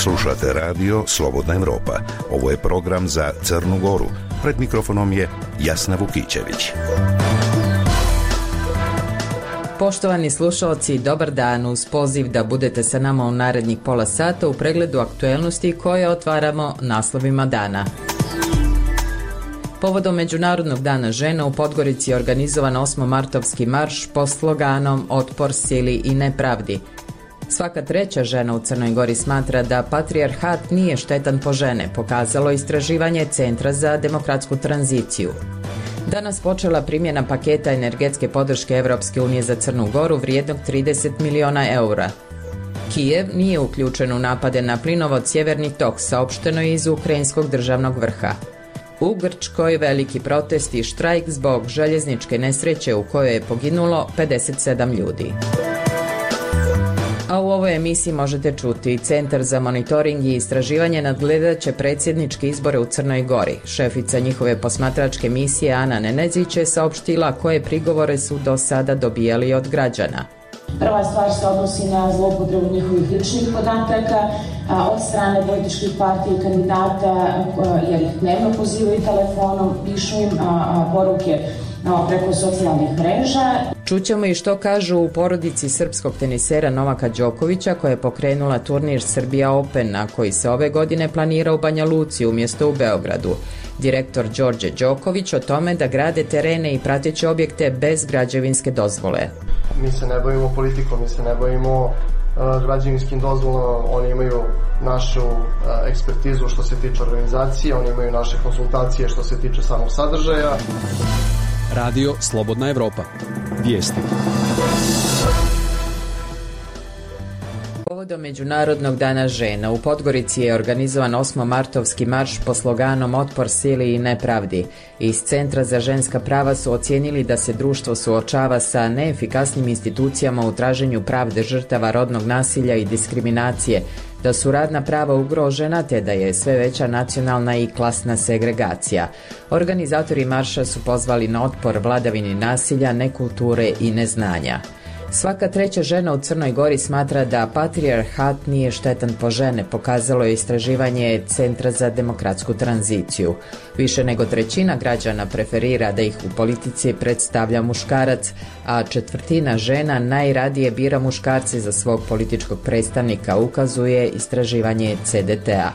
Slušate radio Slobodna Evropa. Ovo je program za Crnu Goru. Pred mikrofonom je Jasna Vukićević. Poštovani slušalci, dobar dan, uz poziv da budete sa nama u narednih pola sata u pregledu aktuelnosti koje otvaramo naslovima dana. Povodom Međunarodnog dana žena u Podgorici je organizovan 8-martovski marš pod sloganom Otpor sili i nepravdi. Svaka treća žena u Crnoj Gori smatra da patrijarhat nije štetan po žene, pokazalo istraživanje Centra za demokratsku tranziciju. Danas počela primjena paketa energetske podrške Evropske unije za Crnu Goru vrijednog 30 miliona eura. Kijev nije uključen u napade na plinovod Sjeverni tok, saopšteno je iz ukrajinskog državnog vrha. U Grčkoj veliki protest i štrajk zbog željezničke nesreće u kojoj je poginulo 57 ljudi. A u ovoj emisiji možete čuti Centar za monitoring i istraživanje nadgledaće predsjedničke izbore u Crnoj Gori. Šefica njihove posmatračke misije Ana Nenezić je saopštila koje prigovore su do sada dobijali od građana. Prva stvar se odnosi na zloupotrebu njihovih ličnih podataka od strane političkih partija i kandidata, jer ih dnevno pozivaju telefonom, pišu im poruke preko socijalnih mreža. Čućemo i što kažu u porodici srpskog tenisera Novaka Đokovića koja je pokrenula turnir Srbija Open, a koji se ove godine planira u Banja Luci umjesto u Beogradu. Direktor Đorđe Đoković o tome da grade terene i prateće objekte bez građevinske dozvole. Mi se ne bavimo politikom, mi se ne bavimo građevinskim dozvolama, oni imaju našu ekspertizu što se tiče organizacije, oni imaju naše konsultacije što se tiče samog sadržaja. Radio Slobodna Evropa. Vijesti. Povodom Međunarodnog dana žena u Podgorici je organizovan 8-martovski marš pod sloganom Otpor sili i nepravdi. Iz Centra za ženska prava su ocijenili da se društvo suočava sa neefikasnim institucijama u traženju pravde žrtava rodnog nasilja i diskriminacije, da su radna prava ugrožena te da je sve veća nacionalna i klasna segregacija. Organizatori marša su pozvali na otpor vladavini nasilja, nekulture i neznanja. Svaka treća žena u Crnoj Gori smatra da patrijarhat nije štetan po žene, pokazalo je istraživanje Centra za demokratsku tranziciju. Više nego trećina građana preferira da ih u politici predstavlja muškarac, a četvrtina žena najradije bira muškarce za svog političkog predstavnika, ukazuje istraživanje CDT-a.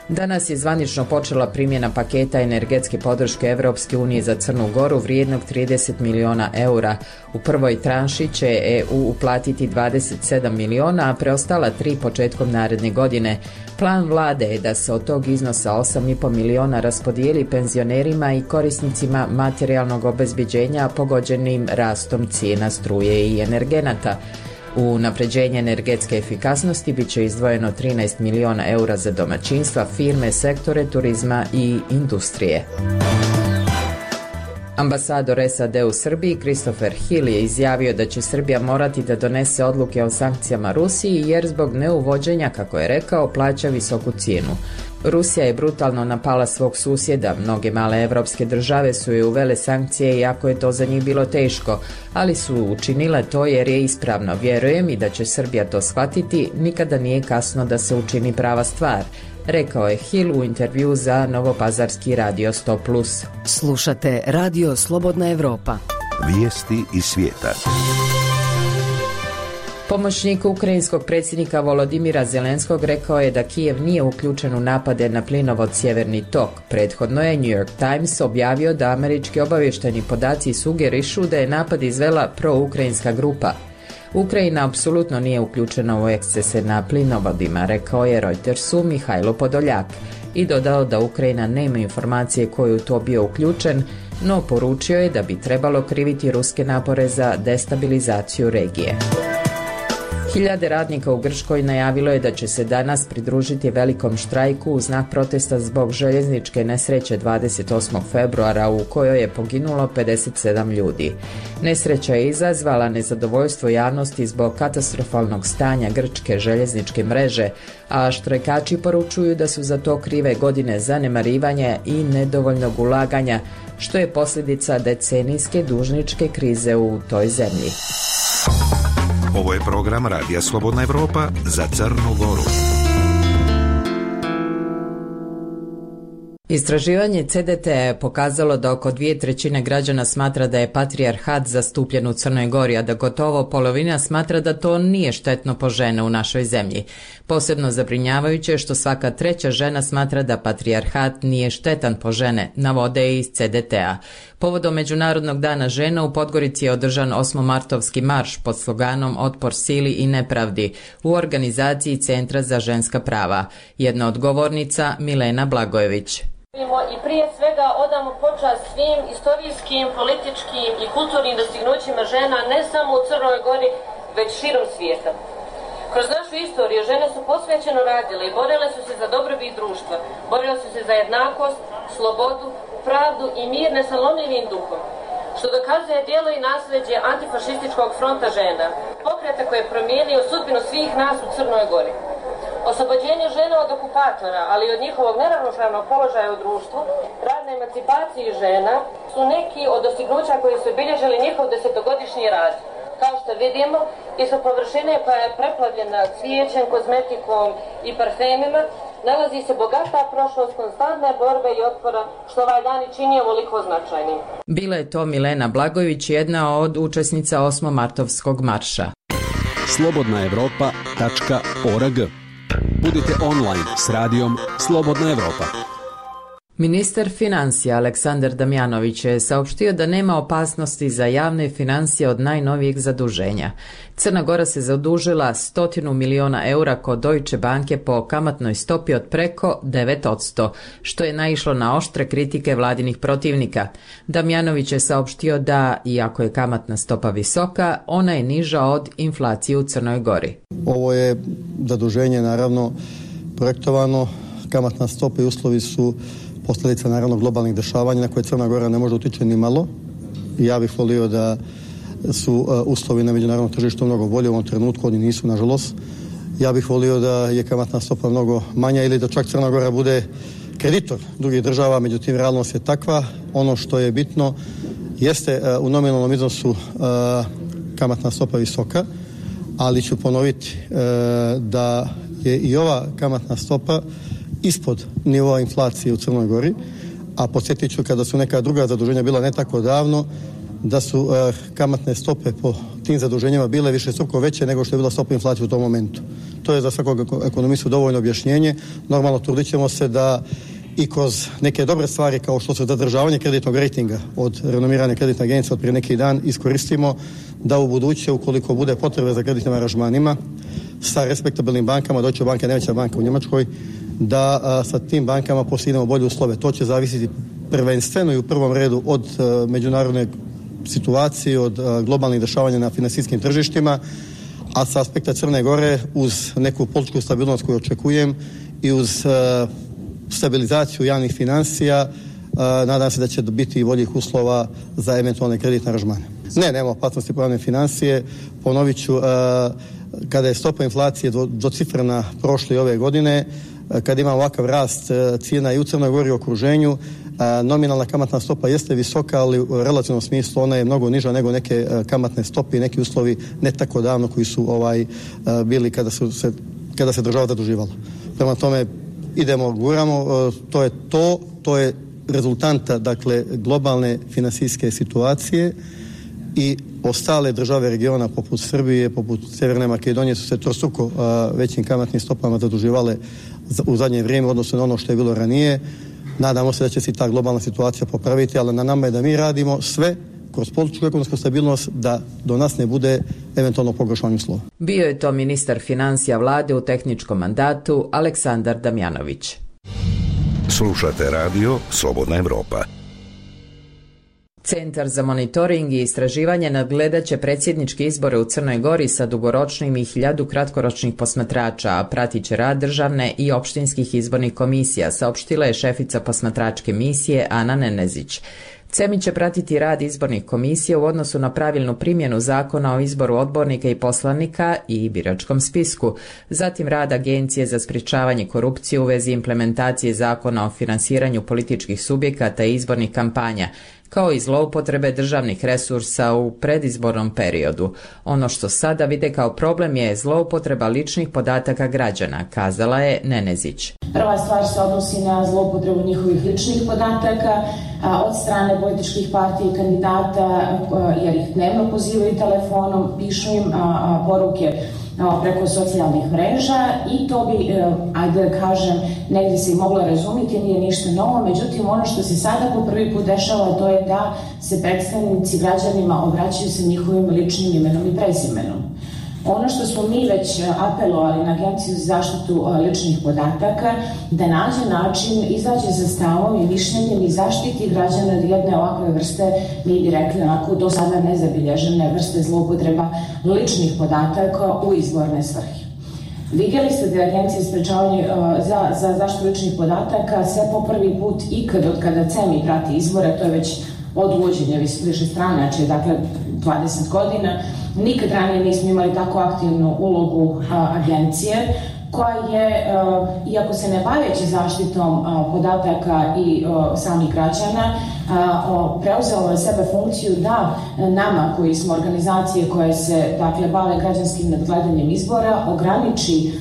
Danas je zvanično počela primjena paketa energetske podrške Evropske unije za Crnu Goru vrijednog 30 miliona eura. U prvoj tranši će EU uplatiti 27 miliona, a preostala 3 početkom naredne godine. Plan vlade je da se od tog iznosa 8,5 miliona raspodijeli penzionerima i korisnicima materijalnog obezbeđenja pogođenim rastom cijena struje i energenata. U unapređenje energetske efikasnosti bit će izdvojeno 13 miliona eura za domaćinstva, firme, sektore turizma i industrije. Ambasador SAD u Srbiji Christopher Hill je izjavio da će Srbija morati da donese odluke o sankcijama Rusiji jer zbog neuvođenja, kako je rekao, plaća visoku cijenu. Rusija je brutalno napala svog susjeda, mnoge male evropske države su joj uvele sankcije iako je to za njih bilo teško, ali su učinile to jer je ispravno. Vjerujem i da će Srbija to shvatiti, nikada nije kasno da se učini prava stvar, rekao je Hill u intervju za Novopazarski radio 100+. Slušate Radio Slobodna Evropa. Vijesti iz svijeta. Pomoćnik ukrajinskog predsjednika Volodimira Zelenskog rekao je da Kijev nije uključen u napade na plinovod Sjeverni tok. Prethodno je New York Times objavio da američki obavještajni podaci sugerišu da je napad izvela proukrajinska grupa. Ukrajina apsolutno nije uključena u ekscese na plinovodima, rekao je Reutersu Mihajlo Podoljak i dodao da Ukrajina nema informacije ko je u to bio uključen, no poručio je da bi trebalo kriviti ruske napore za destabilizaciju regije. Hiljade radnika u Grčkoj najavilo je da će se danas pridružiti velikom štrajku u znak protesta zbog željezničke nesreće 28. februara u kojoj je poginulo 57 ljudi. Nesreća je izazvala nezadovoljstvo javnosti zbog katastrofalnog stanja grčke željezničke mreže, a štrajkači poručuju da su za to krive godine zanemarivanja i nedovoljnog ulaganja, što je posljedica decenijske dužničke krize u toj zemlji. Ovo je program Radija Slobodna Evropa za Crnu Goru. Istraživanje CDT je pokazalo da oko 2/3 građana smatra da je patrijarhat zastupljen u Crnoj Gori, a da gotovo polovina smatra da to nije štetno po žene u našoj zemlji. Posebno zabrinjavajuće je što svaka 3. žena smatra da patrijarhat nije štetan po žene, navode iz CDT-a. Povodom Međunarodnog dana žena u Podgorici je održan 8-martovski marš pod sloganom Otpor sili i nepravdi u organizaciji Centra za ženska prava. Jedna od govornica Milena Blagojević. I prije svega odamo počast svim istorijskim, političkim i kulturnim dostignućima žena ne samo u Crnoj Gori, već širom svijeta. Kroz našu istoriju žene su posvećeno radile i borile su se za dobrobit društva, borile su se za jednakost, slobodu, pravdu i mir nesalomljivim duhom, što dokazuje djelo i nasljeđe antifašističkog fronta žena, pokreta koje je promijenio sudbinu svih nas u Crnoj Gori. Oslobođenje žena od okupatora, ali i od njihovog neravnopravnog položaja u društvu, rad na emancipaciji žena su neki od dostignuća koji su obilježili njihov 10-godišnji rad. Kao što vidimo, ispod površine koja je preplavljena cvijećem, kozmetikom i parfemima, nalazi se bogata prošlost konstantne borbe i otpora, što ovaj dan i čini ovoliko značajnim. Bila je to Milena Blagojević, jedna od učesnica 8-martovskog marša. slobodnaevropa.org. Budite online s radijom Slobodna Evropa. Ministar financija Aleksandar Damjanović je saopštio da nema opasnosti za javne financije od najnovijeg zaduženja. Crna Gora se zadužila 100 miliona eura kod Deutsche Banke po kamatnoj stopi od preko 9%, što je naišlo na oštre kritike vladinih protivnika. Damjanović je saopštio da, iako je kamatna stopa visoka, ona je niža od inflacije u Crnoj Gori. Ovo je zaduženje naravno projektovano, kamatna stopa i uslovi su posljedica naravno globalnih dešavanja na koje Crna Gora ne može utjecati ni malo. Ja bih volio da su uslovi na međunarodnom tržištu mnogo bolje u ovom trenutku, oni nisu nažalost. Ja bih volio da je kamatna stopa mnogo manja ili da čak Crna Gora bude kreditor drugih država, međutim realnost je takva. Ono što je bitno jeste u nominalnom iznosu kamatna stopa visoka, ali ću ponoviti da je i ova kamatna stopa ispod nivoa inflacije u Crnoj Gori, a podsjetit ću kada su neka druga zaduženja bila ne tako davno, da su kamatne stope po tim zaduženjima bile višestruko veće nego što je bila stopa inflacije u tom momentu. To je za svakog ekonomistu dovoljno objašnjenje. Normalno trudit ćemo se da i kroz neke dobre stvari kao što su zadržavanje kreditnog rejtinga od renomirane kreditne agencije od prije neki dan iskoristimo da u buduće, ukoliko bude potrebe za kreditnim aranžmanima sa respektabilnim bankama, Deutsche Bank je najveća banka u Njemačkoj, da sa tim bankama postignemo bolje uslove. To će zavisiti prvenstveno i u prvom redu od međunarodne situacije, od globalnih dešavanja na finansijskim tržištima, a sa aspekta Crne Gore uz neku političku stabilnost koju očekujem i uz stabilizaciju javnih financija, nadam se da će biti i boljih uslova za eventualne kreditne aranžmane. Nema opasnosti po javne financije. Ponovit ću, kada je stopa inflacije dvocifrena prošle i ove godine, kad ima ovakav rast cijena i u Crnoj Gori i okruženju, nominalna kamatna stopa jeste visoka, ali u relativnom smislu ona je mnogo niža nego neke kamatne stope i neki uslovi ne tako davno koji su bili kada se država zaduživala. Prema tome idemo, guramo, to je rezultanta, dakle, globalne finansijske situacije i ostale države regiona poput Srbije, poput Sjeverne Makedonije su se trostruko većim kamatnim stopama zaduživale u zadnje vrijeme, odnosno na ono što je bilo ranije. Nadamo se da će se ta globalna situacija popraviti, ali na nama je da mi radimo sve kroz političku ekonomsku stabilnost da do nas ne bude eventualno pogoršanje uslova. Bio je to ministar financija vlade u tehničkom mandatu Aleksandar Damjanović. Slušate radio Slobodna Evropa. Centar za monitoring i istraživanje nadgledat će predsjedničke izbore u Crnoj Gori sa dugoročnim i 1000 kratkoročnih posmatrača, a pratit će rad državne i opštinskih izbornih komisija, saopštila je šefica posmatračke misije Ana Nenezić. CEMI će pratiti rad izbornih komisija u odnosu na pravilnu primjenu zakona o izboru odbornika i poslanika i biračkom spisku, zatim rad Agencije za sprječavanje korupcije u vezi implementacije zakona o finansiranju političkih subjekata i izbornih kampanja, kao i zloupotrebe državnih resursa u predizbornom periodu. Ono što sada vide kao problem je zloupotreba ličnih podataka građana, kazala je Nenezić. Prva stvar se odnosi na zloupotrebu njihovih ličnih podataka od strane političkih partija i kandidata, jer ih dnevno pozivaju telefonom, pišu im poruke preko socijalnih mreža i to bi, ajde da kažem, negdje se i moglo razumjeti, nije ništa novo, međutim ono što se sada po prvi put dešava to je da se predstavnici građanima obraćaju sa njihovim ličnim imenom i prezimenom. Ono što smo mi već apelovali na Agenciju za zaštitu ličnih podataka, da nađe način, izađe za stavom i mišljenjem i zaštiti građana od jedne ovakve vrste, mi bi rekli onako do sada nezabilježene vrste zloupotreba ličnih podataka u izborne svrhe. Vidjeli ste da je Agencija za zaštitu ličnih podataka sve po prvi put ikad od kada CEMI prati izbore, to je već od uvođenja višestranačja, dakle 20 godina, nikad ranije nismo imali tako aktivnu ulogu agencije koja je, iako se ne baveći zaštitom podataka i samih građana, preuzela na sebe funkciju da nama koji smo organizacije koje se bave građanskim nadgledanjem izbora ograniči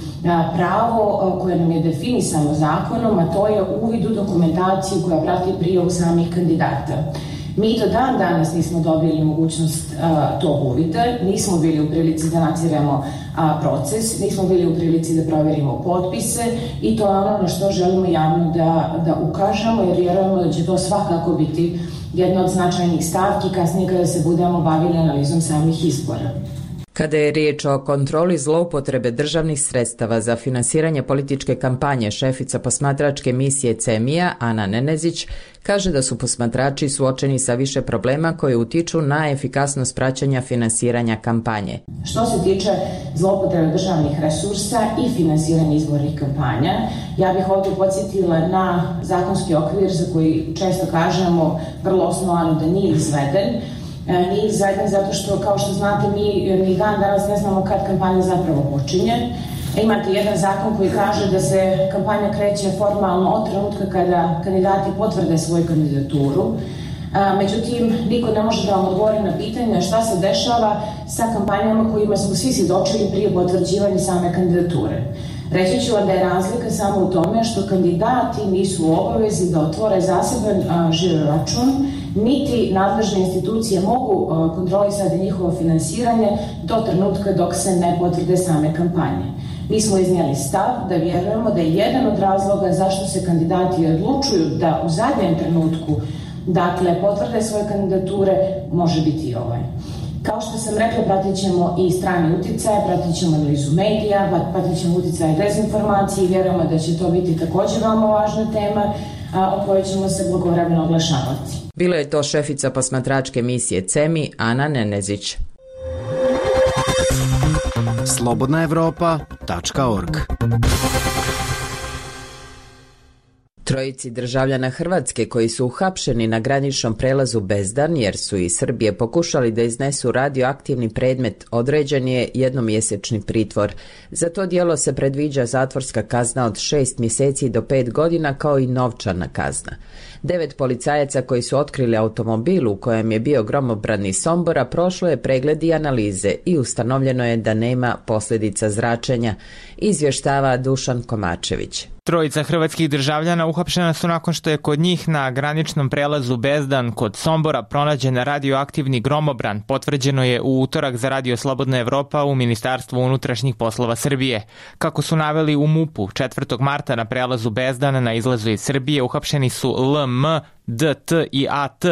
pravo koje nam je definisano zakonom, a to je uvid u dokumentaciju koja prati prijavu samih kandidata. Mi do dan danas nismo dobili mogućnost tog uvida, nismo bili u prilici da nadziremo proces, nismo bili u prilici da proverimo potpise i to je ono na što želimo javno da ukažemo, jer vjerujemo da će to svakako biti jedna od značajnih stavki kasnije kada se budemo bavili analizom samih izbora. Kada je riječ o kontroli zloupotrebe državnih sredstava za finansiranje političke kampanje, šefica posmatračke misije CEMI-a, Ana Nenezić, kaže da su posmatrači suočeni sa više problema koji utiču na efikasnost praćenja finansiranja kampanje. Što se tiče zloupotrebe državnih resursa i finansiranja izbornih kampanja, ja bih ovdje podsjetila na zakonski okvir za koji često kažemo vrlo osnovano da nije izveden. Nije izveden zato što, kao što znate, mi dan danas ne znamo kad kampanja zapravo počinje. Imate jedan zakon koji kaže da se kampanja kreće formalno od trenutka kada kandidati potvrde svoju kandidaturu. Međutim, niko ne može da vam odgovori na pitanje šta se dešava sa kampanjama kojima smo svi svjedočili prije potvrđivanja same kandidature. Reći ću vam da je razlika samo u tome što kandidati nisu u obavezi da otvore zaseban žiro račun, niti nadležne institucije mogu kontrolisati njihovo finansiranje do trenutka dok se ne potvrde same kampanje. Mi smo iznijeli stav da vjerujemo da je jedan od razloga zašto se kandidati odlučuju da u zadnjem trenutku potvrde svoje kandidature može biti i ovaj. Kao što sam rekla, pratit ćemo i strani utjecaj, pratit ćemo analizu medija, pratit ćemo utjecaj dezinformacije i vjerujemo da će to biti također veoma važna tema o kojoj ćemo se blagovremeno oglašavati. Bila je to šefica posmatračke misije CEMI, Ana Nenezić. slobodnaevropa.org. Trojici državljana Hrvatske koji su uhapšeni na graničnom prelazu Bezdan jer su iz Srbije pokušali da iznesu radioaktivni predmet, određen je jednomjesečni pritvor. Za to djelo se predviđa zatvorska kazna od 6 mjeseci do 5 godina kao i novčana kazna. 9 policajaca koji su otkrili automobil u kojem je bio gromobran iz Sombora prošlo je pregled i analize i ustanovljeno je da nema posljedica zračenja, izvještava Dušan Komačević. Trojica hrvatskih državljana uhapšena su nakon što je kod njih na graničnom prelazu Bezdan kod Sombora pronađen radioaktivni gromobran, potvrđeno je u utorak za Radio Slobodna Evropa u Ministarstvu unutrašnjih poslova Srbije. Kako su naveli u MUP-u, 4. marta na prelazu Bezdan na izlazu iz Srbije uhapšeni su LM, DT i AT,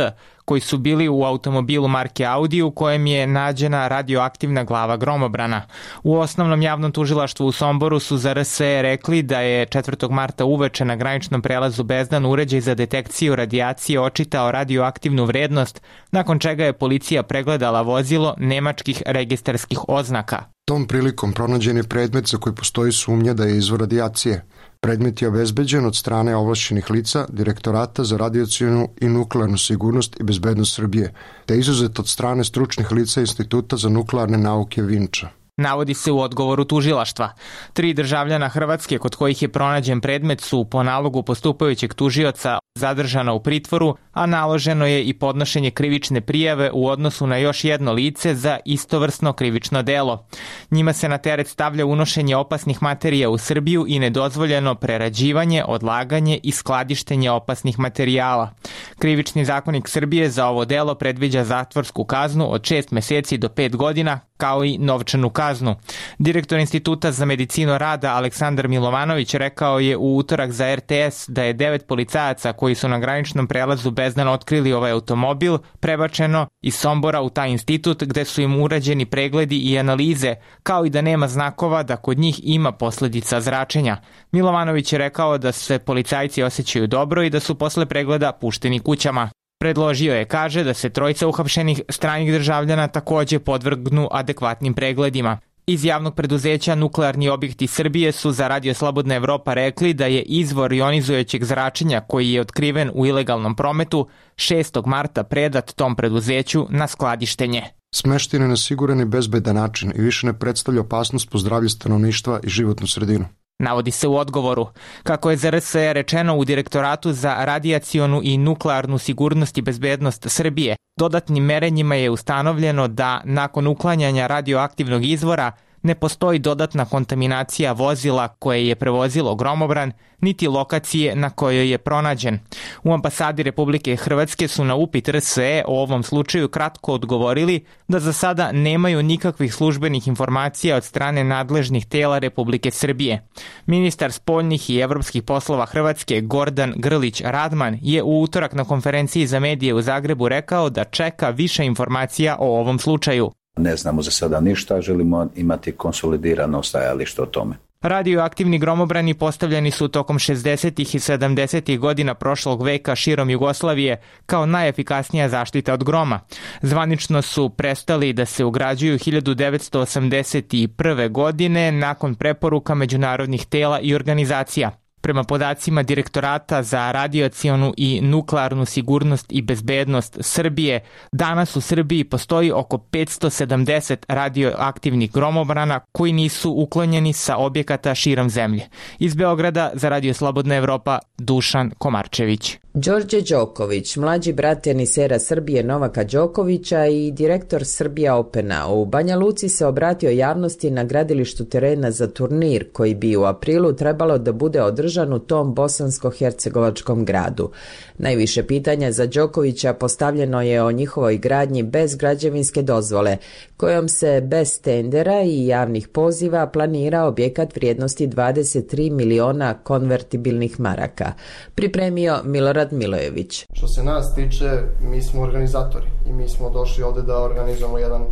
koji su bili u automobilu marke Audi u kojem je nađena radioaktivna glava gromobrana. U osnovnom javnom tužilaštvu u Somboru su za RSE rekli da je 4. marta uveče na graničnom prelazu Bezdan uređaj za detekciju radijacije očitao radioaktivnu vrednost, nakon čega je policija pregledala vozilo nemačkih registarskih oznaka. Tom prilikom pronađen je predmet za koji postoji sumnja da je izvor radijacije. Predmet je obezbeđen od strane ovlašćenih lica Direktorata za radijacionu i nuklearnu sigurnost i bezbednost Srbije, te izuzet od strane stručnih lica Instituta za nuklearne nauke Vinča. navodi se u odgovoru tužilaštva. 3 državljana Hrvatske kod kojih je pronađen predmet su po nalogu postupajućeg tužioca zadržana u pritvoru, a naloženo je i podnošenje krivične prijave u odnosu na još jedno lice za istovrsno krivično delo. Njima se na teret stavlja unošenje opasnih materija u Srbiju i nedozvoljeno prerađivanje, odlaganje i skladištenje opasnih materijala. Krivični zakonik Srbije za ovo delo predviđa zatvorsku kaznu od 6 meseci do 5 godina, kao i novčanu kaznu. Direktor Instituta za medicinu rada Aleksandar Milovanović rekao je u utorak za RTS da je 9 policajaca koji su na graničnom prelazu Bezdan otkrili ovaj automobil prebačeno iz Sombora u taj institut gde su im urađeni pregledi i analize, kao i da nema znakova da kod njih ima posledica zračenja. Milovanović je rekao da se policajci osjećaju dobro i da su posle pregleda pušteni kućama. Predložio je, kaže, da se 3 uhapšenih stranih državljana takođe podvrgnu adekvatnim pregledima. Iz javnog preduzeća Nuklearni objekti Srbije su za Radio Slobodna Evropa rekli da je izvor ionizujućeg zračenja koji je otkriven u ilegalnom prometu 6. marta predat tom preduzeću na skladištenje. Smešten je na siguran i bezbedan način i više ne predstavlja opasnost po zdravlje stanovništva i životnu sredinu. Navodi se u odgovoru. Kako je za RSE rečeno u Direktoratu za radijacionu i nuklearnu sigurnost i bezbednost Srbije, dodatnim merenjima je ustanovljeno da nakon uklanjanja radioaktivnog izvora ne postoji dodatna kontaminacija vozila koje je prevozilo gromobran, niti lokacije na kojoj je pronađen. U ambasadi Republike Hrvatske su na upit RSE o ovom slučaju kratko odgovorili da za sada nemaju nikakvih službenih informacija od strane nadležnih tela Republike Srbije. Ministar spoljnih i evropskih poslova Hrvatske Gordan Grlić Radman je u utorak na konferenciji za medije u Zagrebu rekao da čeka više informacija o ovom slučaju. Ne znamo za sada ništa, želimo imati konsolidirano stajalište o tome. Radioaktivni gromobrani postavljeni su tokom 60. i 70. godina prošlog veka širom Jugoslavije kao najefikasnija zaštita od groma. Zvanično su prestali da se ugrađuju 1981. godine nakon preporuka međunarodnih tela i organizacija. Prema podacima Direktorata za radijacionu i nuklearnu sigurnost i bezbednost Srbije, danas u Srbiji postoji oko 570 radioaktivnih gromobrana koji nisu uklonjeni sa objekata širom zemlje. Iz Beograda za Radio Slobodna Evropa, Dušan Komarčević. Đorđe Đoković, mlađi brat tenisera Srbije Novaka Đokovića i direktor Serbia Opena, u Banja Luci se obratio javnosti na gradilištu terena za turnir koji bi u aprilu trebalo da bude održan u tom bosansko-hercegovačkom gradu. Najviše pitanja za Đokovića postavljeno je o njihovoj gradnji bez građevinske dozvole, kojom se bez tendera i javnih poziva planira objekat vrijednosti 23 miliona konvertibilnih maraka. Pripremio Milorad Milojević. Što se nas tiče, mi smo organizatori i mi smo došli ovde da organizujemo jedan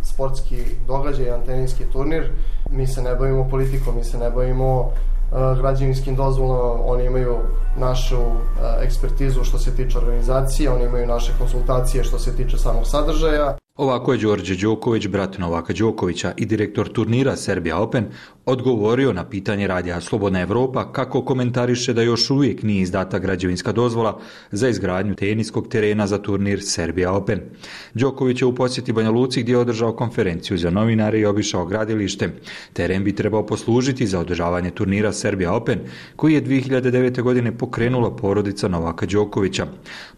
sportski događaj, jedan teniski turnir. Mi se ne bavimo politikom, mi se ne bavimo građevinskim dozvolama, oni imaju našu ekspertizu što se tiče organizacije, oni imaju naše konsultacije što se tiče samog sadržaja. Ovako je Đorđe Đoković, brat Novaka Đokovića i direktor turnira Serbia Open, odgovorio na pitanje Radija Slobodna Evropa kako komentariše da još uvijek nije izdata građevinska dozvola za izgradnju teniskog terena za turnir Serbia Open. Đoković je u posjeti Banja Luci gdje je održao konferenciju za novinare i obišao gradilište. Teren bi trebao poslužiti za održavanje turnira Serbia Open, koji je 2009. godine pokrenula porodica Novaka Đokovića.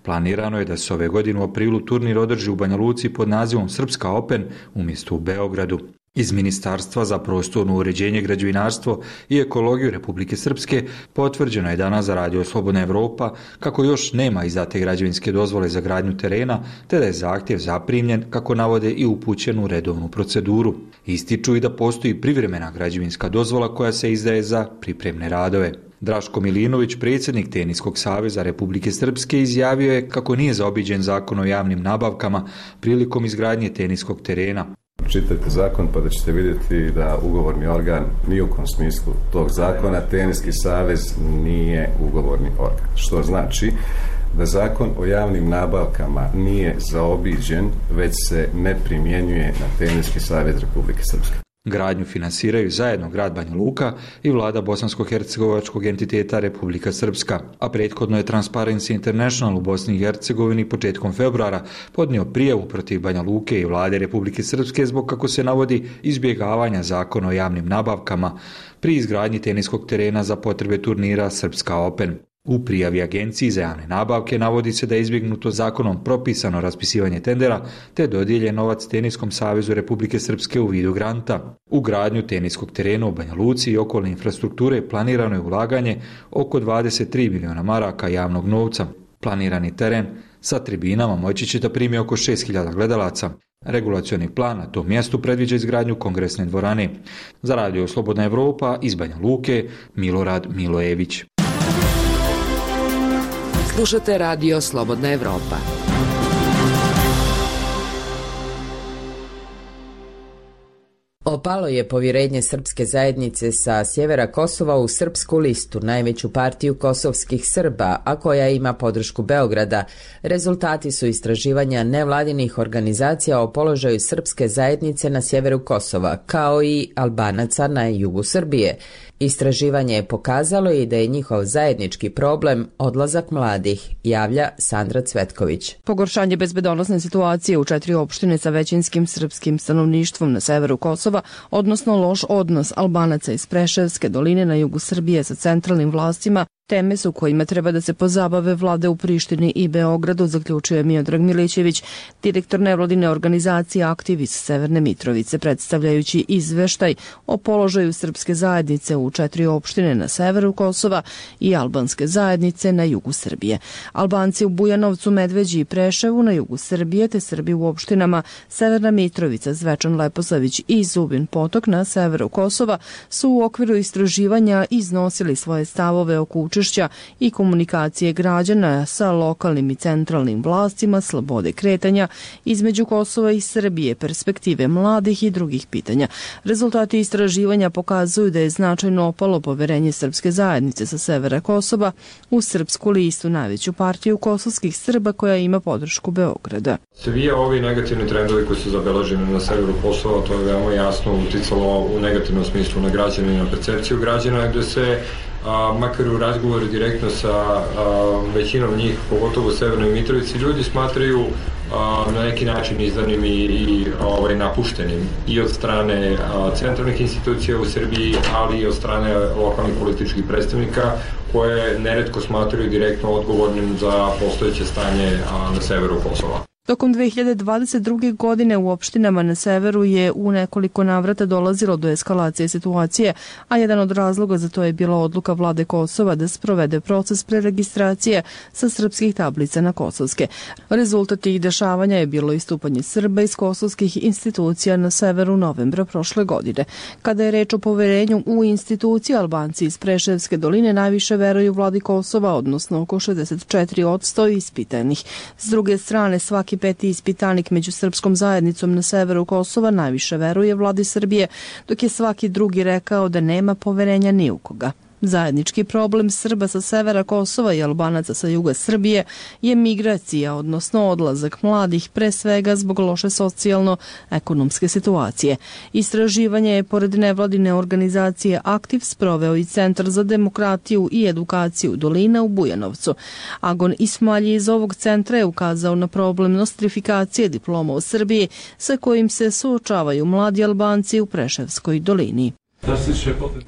Planirano je da se ove godine u aprilu turnir održi u Banja Luci pod nazivom Srpska Open umjesto u Beogradu. Iz Ministarstva za prostorno uređenje, građevinarstvo i ekologiju Republike Srpske potvrđeno je danas za Radio Slobodna Evropa kako još nema izdate građevinske dozvole za gradnju terena, te da je zahtjev zaprimljen, kako navode, i upućen u redovnu proceduru. Ističu i da postoji privremena građevinska dozvola koja se izdaje za pripremne radove. Draško Milinović, predsjednik Teniskog saveza Republike Srpske, izjavio je kako nije zaobiđen zakon o javnim nabavkama prilikom izgradnje teniskog terena. Čitajte zakon pa da ćete vidjeti da ugovorni organ ni u kom smislu tog zakona, Teniski savez nije ugovorni organ. Što znači da zakon o javnim nabavkama nije zaobiđen, već se ne primjenjuje na Teniski savez Republike Srpske. Gradnju finansiraju zajedno grad Banja Luka i vlada bosansko-hercegovačkog entiteta Republika Srpska, a prethodno je Transparency International u Bosni i Hercegovini početkom februara podnio prijavu protiv Banja Luke i vlade Republike Srpske zbog, kako se navodi, izbjegavanja zakona o javnim nabavkama pri izgradnji teniskog terena za potrebe turnira Srpska Open. U prijavi Agenciji za javne nabavke navodi se da je izbjegnuto zakonom propisano raspisivanje tendera te dodijeljen novac Teniskom savezu Republike Srpske u vidu granta. U gradnju teniskog terena u Banja Luci i okolne infrastrukture planirano je ulaganje oko 23 miliona maraka javnog novca. Planirani teren sa tribinama moći će da primi oko 6.000 gledalaca. Regulacioni plan na tom mjestu predviđa izgradnju kongresne dvorane. Za Radio Slobodna Evropa iz Banja Luke, Milorad Milojević. Slušate Radio Slobodna Evropa. Opalo je povjerenje srpske zajednice sa sjevera Kosova u Srpsku listu, najveću partiju kosovskih Srba, a koja ima podršku Beograda. Rezultati su istraživanja nevladinih organizacija o položaju srpske zajednice na sjeveru Kosova, kao i Albanaca na jugu Srbije. Istraživanje je pokazalo i da je njihov zajednički problem odlazak mladih, javlja Sandra Cvetković. Pogoršanje bezbedonosne situacije u 4 opštine sa većinskim srpskim stanovništvom na severu Kosova, odnosno loš odnos Albanaca iz Preševske doline na jugu Srbije sa centralnim vlastima, teme su kojima treba da se pozabave vlade u Prištini i Beogradu, zaključuje Miodrag Milićević, direktor nevladine organizacije Aktiv iz Severne Mitrovice, predstavljajući izveštaj o položaju srpske zajednice u 4 opštine na severu Kosova i albanske zajednice na jugu Srbije. Albanci u Bujanovcu, Medveđi i Preševu na jugu Srbije, te Srbi u opštinama Severna Mitrovica, Zvečan, Leposavić i Zubin Potok na severu Kosova su u okviru istraživanja iznosili svoje stavove oko učešća i komunikacije građana sa lokalnim i centralnim vlastima, slobode kretanja između Kosova i Srbije, perspektive mladih i drugih pitanja. Rezultati istraživanja pokazuju da je značajno opalo poverenje srpske zajednice sa severa Kosova u Srpsku listu, najveću partiju kosovskih Srba koja ima podršku Beograda. Svi ovi negativni trendovi koji su zabeleženi na severu Kosova, to je veoma jasno uticalo u negativnom smislu na građane i na percepciju građana, gde se makar u razgovoru direktno sa većinom njih, pogotovo u Severnoj Mitrovici, ljudi smatraju na neki način izdanim i napuštenim i od strane centralnih institucija u Srbiji, ali i od strane lokalnih političkih predstavnika koje neretko smatraju direktno odgovornim za postojeće stanje na severu Kosova. Tokom 2022. godine u opštinama na severu je u nekoliko navrata dolazilo do eskalacije situacije, a jedan od razloga za to je bila odluka vlade Kosova da sprovede proces preregistracije sa srpskih tablica na kosovske. Rezultat tih dešavanja je bilo istupanje Srba iz kosovskih institucija na severu novembra prošle godine. Kada je reč o poverenju u institucije, Albanci iz Preševske doline najviše veruju vladi Kosova, odnosno oko 64% ispitanih. S druge strane, svaki peti ispitanik među srpskom zajednicom na severu Kosova najviše veruje vladi Srbije, dok je svaki drugi rekao da nema poverenja ni u koga. Zajednički problem Srba sa severa Kosova i Albanaca sa juga Srbije je migracija, odnosno odlazak mladih, pre svega zbog loše socijalno-ekonomske situacije. Istraživanje je pored nevladine organizacije Aktiv sproveo i Centar za demokratiju i edukaciju Dolina u Bujanovcu. Agon Ismalji iz ovog centra je ukazao na problem nostrifikacije diploma u Srbiji sa kojim se suočavaju mladi Albanci u Preševskoj dolini.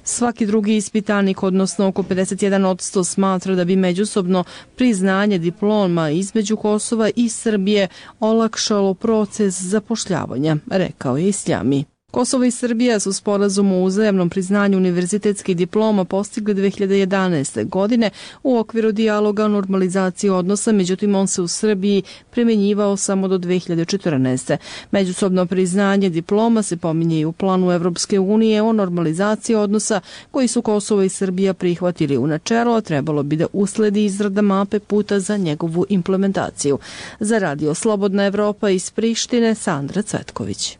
Svaki drugi ispitanik, odnosno oko 51%, smatra da bi međusobno priznanje diploma između Kosova i Srbije olakšalo proces zapošljavanja, rekao je Isljami. Kosovo i Srbija su sporazum o uzajamnom priznanju univerzitetskih diploma postigli 2011. godine u okviru dijaloga o normalizaciji odnosa, međutim on se u Srbiji primjenjivao samo do 2014. Međusobno priznanje diploma se pominje i u planu Evropske unije o normalizaciji odnosa koji su Kosovo i Srbija prihvatili u načelo, a trebalo bi da usledi izrada mape puta za njegovu implementaciju. Za Radio Slobodna Evropa iz Prištine, Sandra Cvetković.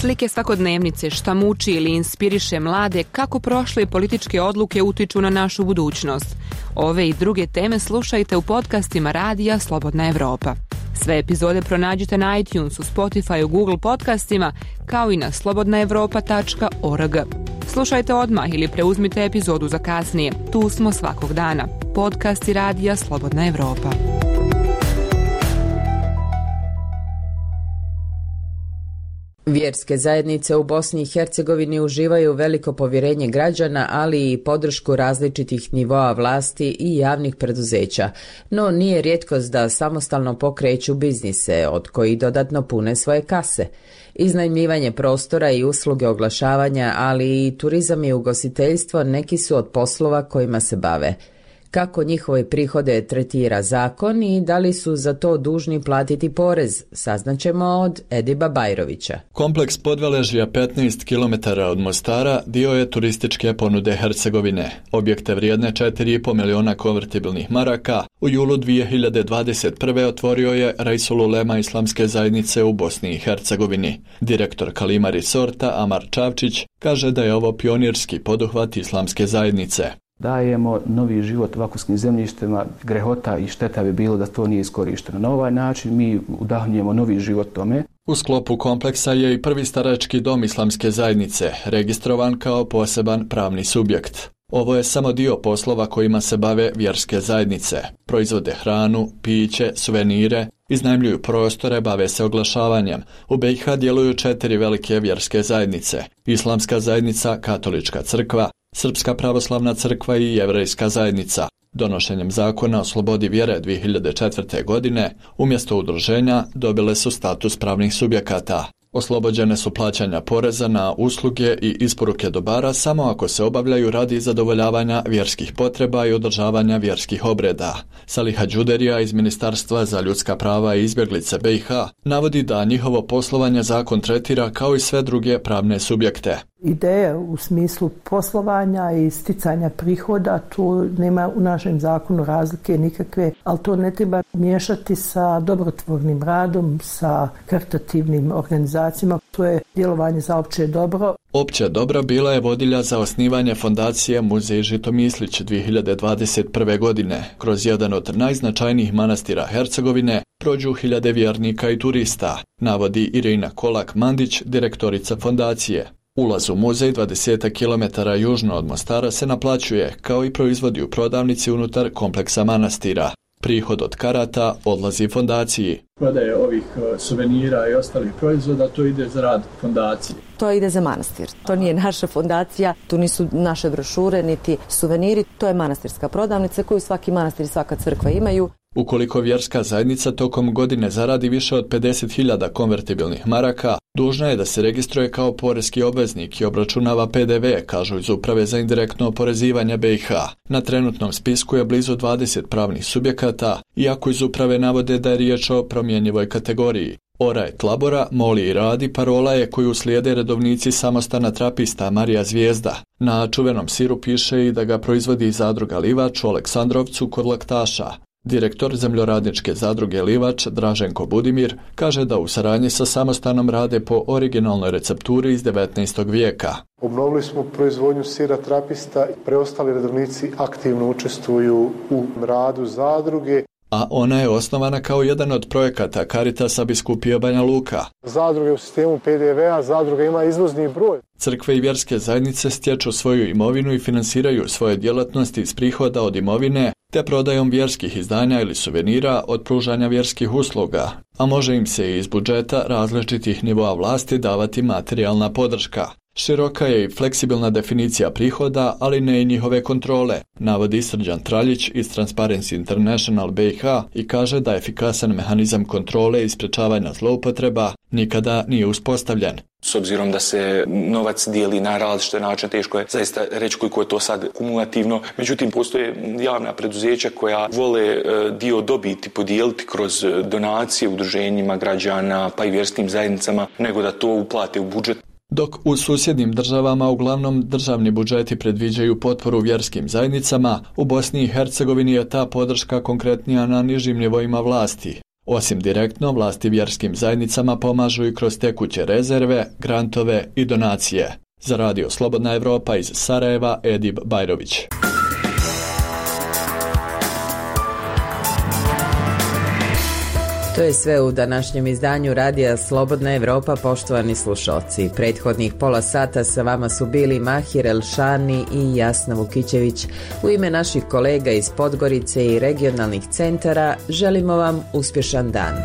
Slike svakodnevnice, šta muči ili inspiriše mlade, kako prošle političke odluke utiču na našu budućnost. Ove i druge teme slušajte u podcastima Radija Slobodna Evropa. Sve epizode pronađite na iTunesu, Spotifyu, Google podcastima, kao i na slobodnaevropa.org. Slušajte odmah ili preuzmite epizodu za kasnije. Tu smo svakog dana. Podcast i radija Slobodna Evropa. Vjerske zajednice u Bosni i Hercegovini uživaju veliko povjerenje građana, ali i podršku različitih nivoa vlasti i javnih preduzeća. No nije rijetkost da samostalno pokreću biznise, od kojih dodatno pune svoje kase. Iznajmljivanje prostora i usluge oglašavanja, ali i turizam i ugostiteljstvo neki su od poslova kojima se bave. Kako njihove prihode tretira zakon i da li su za to dužni platiti porez, saznaćemo od Ediba Bajrovića. Kompleks Podveležja 15 km od Mostara dio je turističke ponude Hercegovine. Objekte vrijedne 4,5 miliona konvertibilnih maraka u julu 2021. otvorio je Reisul Ulema Islamske zajednice u Bosni i Hercegovini. Direktor Kalima Resorta Amar Čavčić kaže da je ovo pionirski poduhvat Islamske zajednice. Dajemo novi život vakufskim zemljištima, grehota i šteta bi bilo da to nije iskorišteno. Na ovaj način mi udahnjujemo novi život tome. U sklopu kompleksa je i prvi starački dom Islamske zajednice, registrovan kao poseban pravni subjekt. Ovo je samo dio poslova kojima se bave vjerske zajednice. Proizvode hranu, piće, suvenire, iznajmljuju prostore, bave se oglašavanjem. U BiH djeluju 4 velike vjerske zajednice. Islamska zajednica, Katolička crkva, Srpska pravoslavna crkva i Jevrejska zajednica. Donošenjem zakona o slobodi vjere 2004. godine, umjesto udruženja, dobile su status pravnih subjekata. Oslobođene su plaćanja poreza na usluge i isporuke dobara samo ako se obavljaju radi zadovoljavanja vjerskih potreba i održavanja vjerskih obreda. Saliha Đuderija iz Ministarstva za ljudska prava i izbjeglice BiH navodi da njihovo poslovanje zakon tretira kao i sve druge pravne subjekte. Ideja u smislu poslovanja i sticanja prihoda, tu nema u našem zakonu razlike nikakve, ali to ne treba miješati sa dobrotvornim radom, sa karitativnim organizacijama. To je djelovanje za opće dobro. Opće dobro bila je vodilja za osnivanje fondacije Muzej Žitomislić 2021. godine. Kroz jedan od najznačajnijih manastira Hercegovine prođu hiljade vjernika i turista, navodi Irina Kolak-Mandić, direktorica fondacije. Ulaz u muzej 20 km južno od Mostara se naplaćuje, kao i proizvodi u prodavnici unutar kompleksa manastira. Prihod od karata odlazi fondaciji. Prodaje ovih suvenira i ostalih proizvoda, to ide za rad fondacije. To ide za manastir. To nije naša fondacija, tu nisu naše brošure, niti suveniri. To je manastirska prodavnica koju svaki manastir i svaka crkva imaju. Ukoliko vjerska zajednica tokom godine zaradi više od 50.000 konvertibilnih maraka, dužna je da se registruje kao poreski obveznik i obračunava PDV, kažu iz Uprave za indirektno oporezivanje BiH. Na trenutnom spisku je blizu 20 pravnih subjekata, iako iz Uprave navode da je riječ o promjenjivoj kategoriji. Oraj Tlabora, moli i radi parola je koju slijede redovnici samostana trapista Marija Zvijezda. Na čuvenom siru piše i da ga proizvodi zadruga Livač u Aleksandrovcu kod Laktaša. Direktor zemljoradničke zadruge Livač, Draženko Budimir, kaže da u saradnji sa samostanom rade po originalnoj recepturi iz 19. vijeka. Obnovili smo proizvodnju sira trapista i preostali redovnici aktivno učestvuju u radu zadruge. A ona je osnovana kao jedan od projekata Caritasa biskupije Banja Luka. Zadruga je u sistemu PDV-a, zadruga ima izvozni broj. Crkve i vjerske zajednice stječu svoju imovinu i finansiraju svoje djelatnosti iz prihoda od imovine, te prodajom vjerskih izdanja ili suvenira od pružanja vjerskih usluga, a može im se i iz budžeta različitih nivoa vlasti davati materijalna podrška. Široka je i fleksibilna definicija prihoda, ali ne i njihove kontrole, navodi Srđan Traljić iz Transparency International BiH i kaže da efikasan mehanizam kontrole i sprečavanja zloupotreba nikada nije uspostavljen. S obzirom da se novac dijeli na različite načine, teško je zaista reći koliko je to sad kumulativno. Međutim, postoje javna preduzeća koja vole dio dobiti podijeliti kroz donacije udruženjima građana pa i vjerskim zajednicama, nego da to uplate u budžet. Dok u susjednim državama uglavnom državni budžeti predviđaju potporu vjerskim zajednicama, u Bosni i Hercegovini je ta podrška konkretnija na nižim nivoima vlasti. Osim direktno, vlasti vjerskim zajednicama pomažu i kroz tekuće rezerve, grantove i donacije. Za Radio Slobodna Evropa iz Sarajeva, Edib Bajrović. To je sve u današnjem izdanju Radija Slobodna Evropa, poštovani slušalci. Prethodnih pola sata sa vama su bili Mahir Elšani i Jasna Vukićević. U ime naših kolega iz Podgorice i regionalnih centara želimo vam uspješan dan.